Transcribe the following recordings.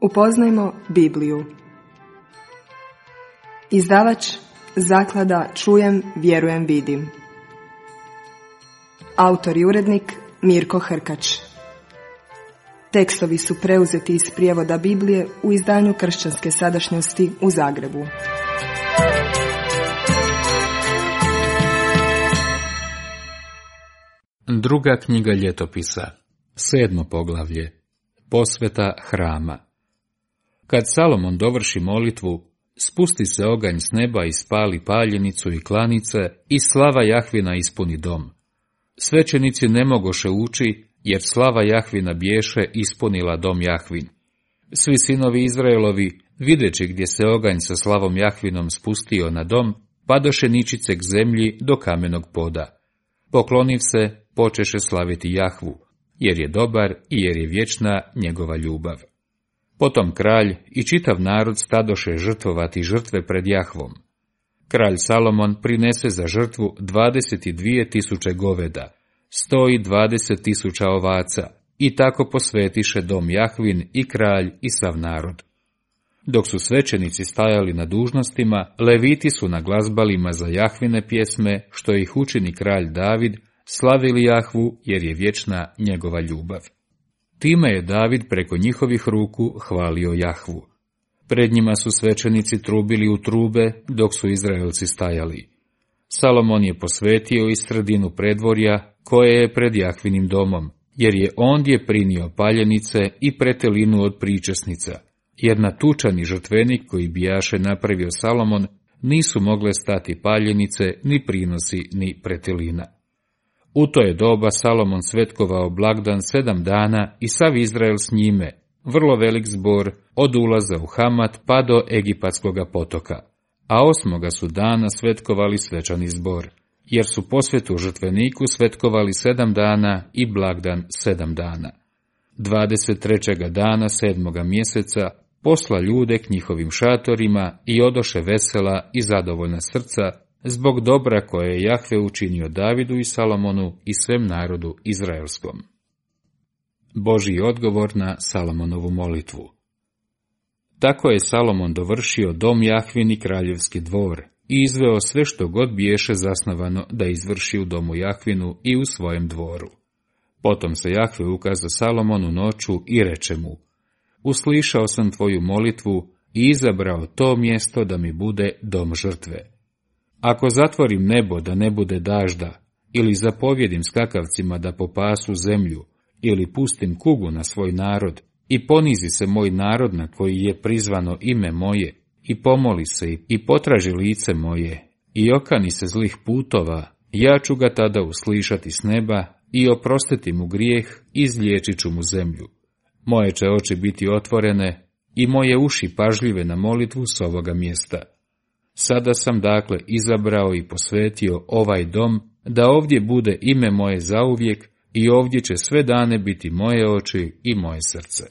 Upoznajmo Bibliju. Izdavač Zaklada Čujem, vjerujem, vidim. Autor i urednik Mirko Hrkač. Tekstovi su preuzeti iz prijevoda Biblije u izdanju Kršćanske sadašnjosti u Zagrebu. Druga knjiga ljetopisa, 7. poglavlje, posveta hrama. Kad Salomon dovrši molitvu, spusti se oganj s neba i spali paljenicu i klanice i slava Jahvina ispuni dom. Svećenici ne mogoše ući, jer slava Jahvina biješe ispunila dom Jahvin. Svi sinovi Izraelovi, videći gdje se oganj sa slavom Jahvinom spustio na dom, padoše ničice k zemlji do kamenog poda. Pokloniv se, počeše slaviti Jahvu, jer je dobar i jer je vječna njegova ljubav. Potom kralj i čitav narod stadoše žrtvovati žrtve pred Jahvom. Kralj Salomon prinese za žrtvu 22.000 goveda, 120.000 ovaca, i tako posvetiše dom Jahvin i kralj i sav narod. Dok su svećenici stajali na dužnostima, leviti su na glazbalima za Jahvine pjesme, što ih učini kralj David, slavili Jahvu, jer je vječna njegova ljubav. Time je David preko njihovih ruku hvalio Jahvu. Pred njima su svećenici trubili u trube, dok su Izraelci stajali. Salomon je posvetio i sredinu predvorja, koje je pred Jahvinim domom, jer je ondje prinio paljenice i pretelinu od pričesnica, jer na tučani žrtvenik koji bijaše napravio Salomon nisu mogle stati paljenice, ni prinosi, ni pretelina. U to je doba Salomon svetkovao blagdan 7 dana i sav Izrael s njime, vrlo velik zbor, od ulaza u Hamat pa do Egipatskoga potoka, a 8. su dana svetkovali svečani zbor, jer su posvetu žrtveniku svetkovali 7 dana i blagdan 7 dana. 23. dana 7. mjeseca posla ljude k njihovim šatorima i odoše vesela i zadovoljna srca, zbog dobra koje je Jahve učinio Davidu i Salomonu i svem narodu izraelskom. Božji odgovor na Salomonovu molitvu. Tako je Salomon dovršio dom Jahvin i kraljevski dvor i izveo sve što god biješe zasnovano da izvrši u domu Jahvinu i u svojem dvoru. Potom se Jahve ukaza Salomonu noću i reče mu: Uslišao sam tvoju molitvu i izabrao to mjesto da mi bude dom žrtve. Ako zatvorim nebo da ne bude dažda, ili zapovjedim skakavcima da popasu zemlju, ili pustim kugu na svoj narod, i ponizi se moj narod na koji je prizvano ime moje, i pomoli se i potraži lice moje, i okani se zlih putova, ja ću ga tada uslišati s neba i oprostiti mu grijeh i izliječit ću mu zemlju. Moje će oči biti otvorene i moje uši pažljive na molitvu s ovoga mjesta. Sada sam dakle izabrao i posvetio ovaj dom, da ovdje bude ime moje zauvijek i ovdje će sve dane biti moje oči i moje srce.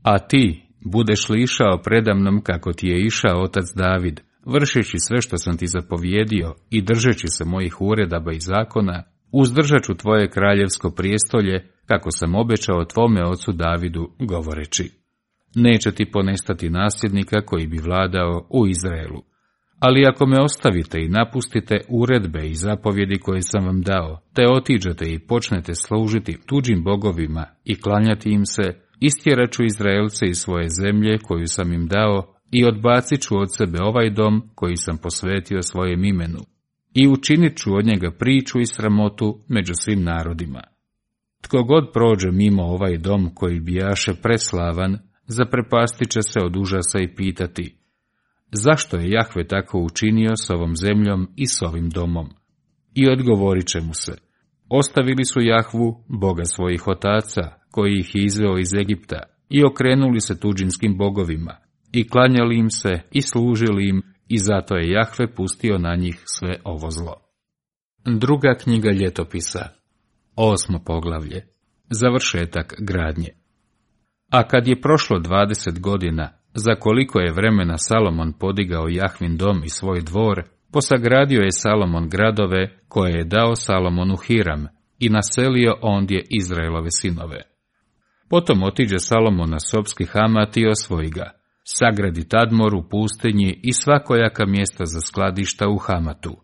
A ti budeš li išao predamnom kako ti je išao otac David, vršeći sve što sam ti zapovjedio i držeći se mojih uredaba i zakona, uzdržat ću tvoje kraljevsko prijestolje, kako sam obećao tvome ocu Davidu, govoreći: Neće ti ponestati nasljednika koji bi vladao u Izraelu. Ali ako me ostavite i napustite uredbe i zapovjedi koje sam vam dao, te otiđete i počnete služiti tuđim bogovima i klanjati im se, istjerat ću Izraelce iz svoje zemlje koju sam im dao i odbacit ću od sebe ovaj dom koji sam posvetio svojem imenu i učinit ću od njega priču i sramotu među svim narodima. Tko god prođe mimo ovaj dom koji bijaše preslavan, zaprepastit će se od užasa i pitati: Zašto je Jahve tako učinio s ovom zemljom i s ovim domom? I odgovorit će mu se: Ostavili su Jahvu, Boga svojih otaca, koji ih je izveo iz Egipta, i okrenuli se tuđinskim bogovima, i klanjali im se i služili im, i zato je Jahve pustio na njih sve ovo zlo. Druga knjiga ljetopisa, 8. poglavlje, završetak gradnje. A kad je prošlo 20 godina, za koliko je vremena Salomon podigao Jahvin dom i svoj dvor, posagradio je Salomon gradove koje je dao Salomonu Hiram i naselio ondje Izraelove sinove. Potom otiđe Salomon na Sopski Hamat i osvoji ga. Sagradi Tadmor u pustinji i svakojaka mjesta za skladišta u Hamatu.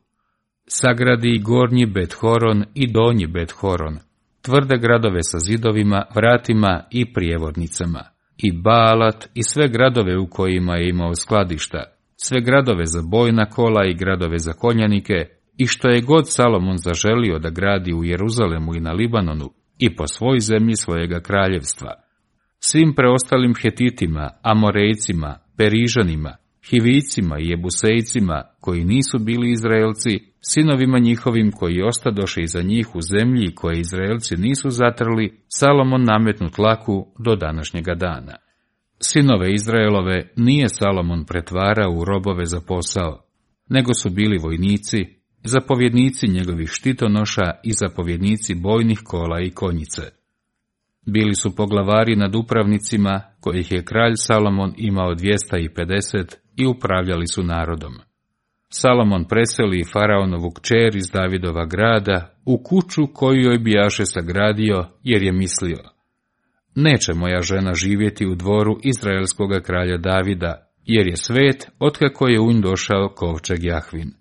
Sagradi i gornji Bet-horon i donji Bet-horon, tvrde gradove sa zidovima, vratima i prijevodnicama, i Baalat i sve gradove u kojima je imao skladišta, sve gradove za bojna kola i gradove za konjanike, i što je god Salomon zaželio da gradi u Jeruzalemu i na Libanonu, i po svoj zemlji svojega kraljevstva. Svim preostalim Hetitima, Amorejcima, Perižanima, Hivicima i Jebusejcima, koji nisu bili Izraelci, sinovima njihovim koji ostadoše iza njih u zemlji koje Izraelci nisu zatrli, Salomon nametnu tlaku do današnjega dana. Sinove Izraelove nije Salomon pretvarao u robove za posao, nego su bili vojnici, zapovjednici njegovih štitonoša i zapovjednici bojnih kola i konjice. Bili su poglavari nad upravnicima, kojih je kralj Salomon imao 250 i upravljali su narodom. Salomon preseli faraonovu kćer iz Davidova grada u kuću koju joj bijaše sagradio, jer je mislio: neće moja žena živjeti u dvoru izraelskoga kralja Davida, jer je svet otkako je u nj došao kovčeg Jahvin.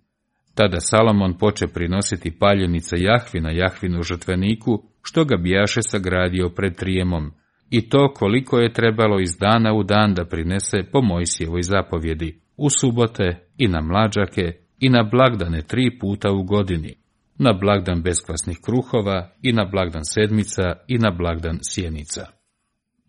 Tada Salomon poče prinositi paljenice Jahvina Jahvinu žrtveniku, što ga bijaše sagradio pred Trijemom, i to koliko je trebalo iz dana u dan da prinese po Mojsijevoj zapovjedi, u subote i na mlađake i na blagdane 3 puta u godini, na blagdan beskvasnih kruhova i na blagdan sedmica i na blagdan sjenica.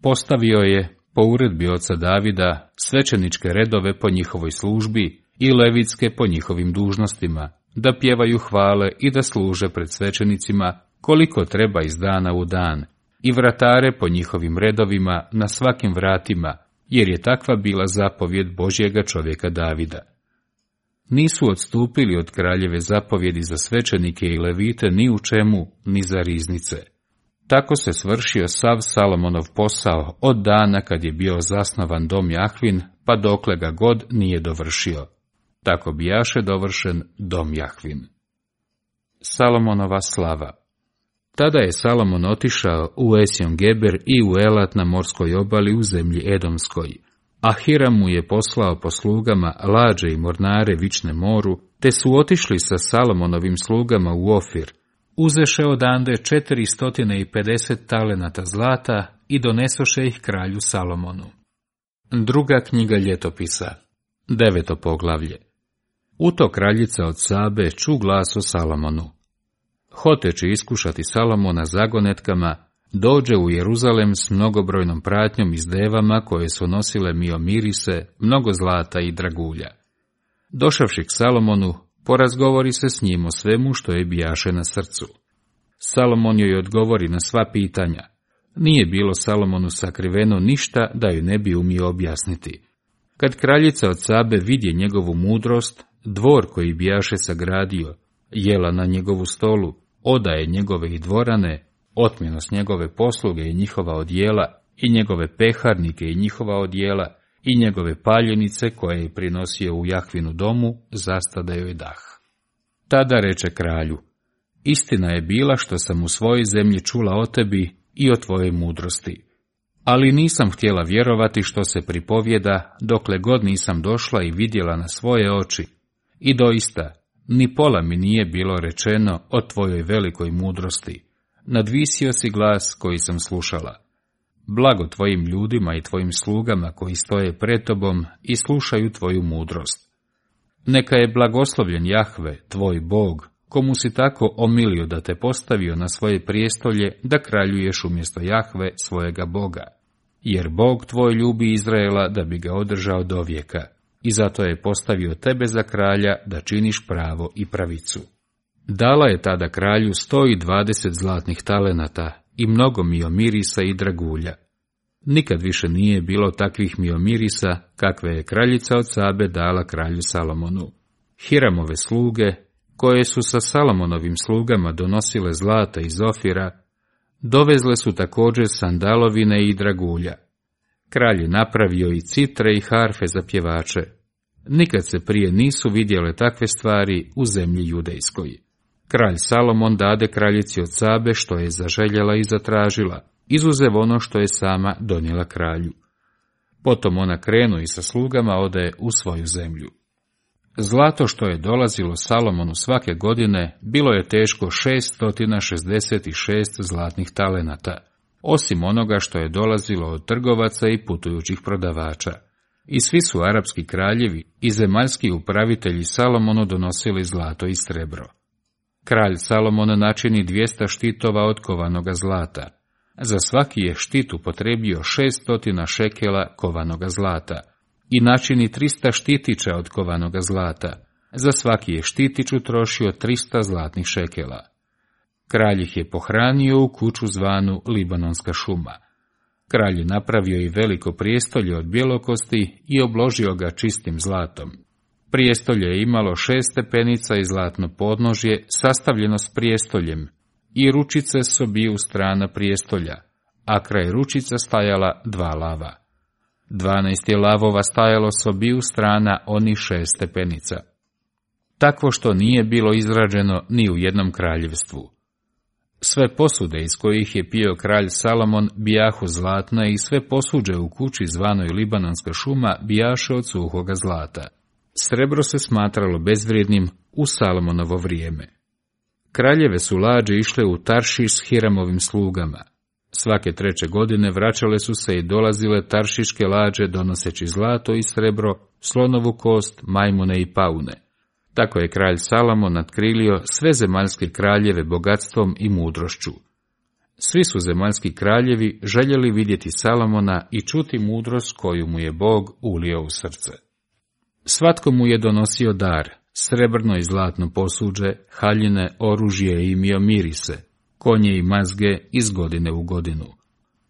Postavio je, po uredbi oca Davida, svećeničke redove po njihovoj službi i levitske po njihovim dužnostima, da pjevaju hvale i da služe pred svećenicima koliko treba iz dana u dan, i vratare po njihovim redovima na svakim vratima, jer je takva bila zapovjed Božjega čovjeka Davida. Nisu odstupili od kraljeve zapovjedi za svećenike i levite ni u čemu, ni za riznice. Tako se svršio sav Salomonov posao od dana kad je bio zasnovan dom Jahvin, pa dokle ga god nije dovršio. Tako bijaše dovršen dom Jahvin. Salomonova slava. Tada je Salomon otišao u Esjon Geber i u Elat na morskoj obali u zemlji Edomskoj, a Hiram mu je poslao po slugama lađe i mornare vične moru, te su otišli sa Salomonovim slugama u Ofir, uzeše odande 450 talenata zlata i donesoše ih kralju Salomonu. Druga knjiga ljetopisa, 9. poglavlje. U to kraljica od Sabe ču glas o Salomonu. Hoteći iskušati Salomona zagonetkama, dođe u Jeruzalem s mnogobrojnom pratnjom i s devama koje su nosile miomirise, mnogo zlata i dragulja. Došavši k Salomonu, porazgovori se s njim o svemu što je bijaše na srcu. Salomon joj odgovori na sva pitanja. Nije bilo Salomonu sakriveno ništa da ju ne bi umio objasniti. Kad kraljica od Sabe vidje njegovu mudrost, dvor koji bijaše sagradio, jela na njegovu stolu, odaje njegove i dvorane, otmjenost njegove posluge i njihova odjela, i njegove peharnike i njihova odjela, i njegove paljenice koje je prinosio u Jahvinu domu, zastade joj dah. Tada reče kralju: istina je bila što sam u svojoj zemlji čula o tebi i o tvojoj mudrosti. Ali nisam htjela vjerovati što se pripovjeda, dokle god nisam došla i vidjela na svoje oči. I doista, ni pola mi nije bilo rečeno o tvojoj velikoj mudrosti. Nadvisio si glas koji sam slušala. Blago tvojim ljudima i tvojim slugama koji stoje pred tobom i slušaju tvoju mudrost. Neka je blagoslovljen Jahve, tvoj Bog, komu si tako omilio da te postavio na svoje prijestolje da kraljuješ umjesto Jahve, svojega Boga. Jer Bog tvoj ljubi Izraela da bi ga održao do vijeka, i zato je postavio tebe za kralja da činiš pravo i pravicu. Dala je tada kralju 120 zlatnih talenata i mnogo miomirisa i dragulja. Nikad više nije bilo takvih miomirisa kakve je kraljica od Sabe dala kralju Salomonu. Hiramove sluge, koje su sa Salomonovim slugama donosile zlata iz Ofira, dovezle su također sandalovine i dragulja. Kralj je napravio i citre i harfe za pjevače. Nikad se prije nisu vidjele takve stvari u zemlji judejskoj. Kralj Salomon dade kraljici od Sabe što je zaželjela i zatražila, izuzev ono što je sama donijela kralju. Potom ona krenu i sa slugama ode u svoju zemlju. Zlato što je dolazilo Salomonu svake godine bilo je teško 666 zlatnih talenata, osim onoga što je dolazilo od trgovaca i putujućih prodavača. I svi su arapski kraljevi i zemaljski upravitelji Salomonu donosili zlato i srebro. Kralj Salomon načini 200 štitova od kovanoga zlata. Za svaki je štit upotrebio 600 šekela kovanoga zlata i načini 300 štitića od kovanoga zlata. Za svaki je štitić utrošio 300 zlatnih šekela. Kralj ih je pohranio u kuću zvanu Libanonska šuma. Kralj je napravio i veliko prijestolje od bjelokosti i obložio ga čistim zlatom. Prijestolje je imalo 6 stepenica i zlatno podnožje sastavljeno s prijestoljem i ručice s obiju strana prijestolja, a kraj ručica stajala 2 lava. 12 je lavova stajalo s obiju strana onih 6 stepenica. Takvo što nije bilo izrađeno ni u jednom kraljevstvu. Sve posude iz kojih je pio kralj Salomon bijahu zlatna i sve posuđe u kući zvanoj Libanonska šuma bijaše od suhoga zlata. Srebro se smatralo bezvrijednim u Salomonovo vrijeme. Kraljeve su lađe išle u Taršiš s Hiramovim slugama. Svake 3. godine vraćale su se i dolazile taršiške lađe donoseći zlato i srebro, slonovu kost, majmune i paune. Tako je kralj Salomon natkrilio sve zemaljske kraljeve bogatstvom i mudrošću. Svi su zemaljski kraljevi željeli vidjeti Salomona i čuti mudrost koju mu je Bog ulio u srce. Svatko mu je donosio dar, srebrno i zlatno posuđe, haljine, oružje i imio mirise, konje i mazge iz godine u godinu.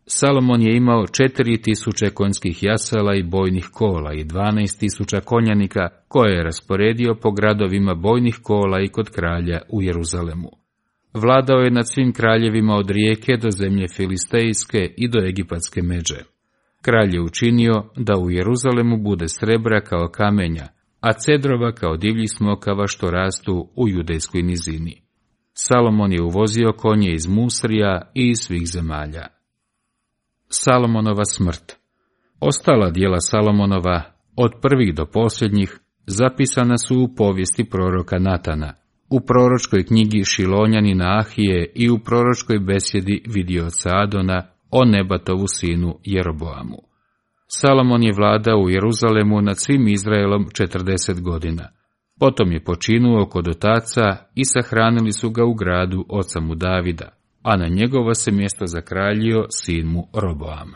Salomon je imao 4000 konjskih jasala i bojnih kola i 12.000 konjanika koje je rasporedio po gradovima bojnih kola i kod kralja u Jeruzalemu. Vladao je nad svim kraljevima od rijeke do zemlje filistejske i do egipatske međe. Kralj je učinio da u Jeruzalemu bude srebra kao kamenja, a cedrova kao divljih smokava što rastu u judejskoj nizini. Salomon je uvozio konje iz Musrija i iz svih zemalja. Salomonova smrt. Ostala djela Salomonova, od prvih do posljednjih, zapisana su u povijesti proroka Natana, u proročkoj knjigi Šilonjanina Ahije i u proročkoj besjedi vidioca Adona o Nebatovu sinu Jeroboamu. Salomon je vladao u Jeruzalemu nad svim Izraelom 40 godina. Potom je počinuo kod otaca i sahranili su ga u gradu oca mu Davida, a na njegovo se mjesto zakraljio sin mu Roboam.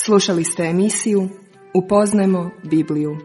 Slušali ste emisiju Upoznajmo Bibliju.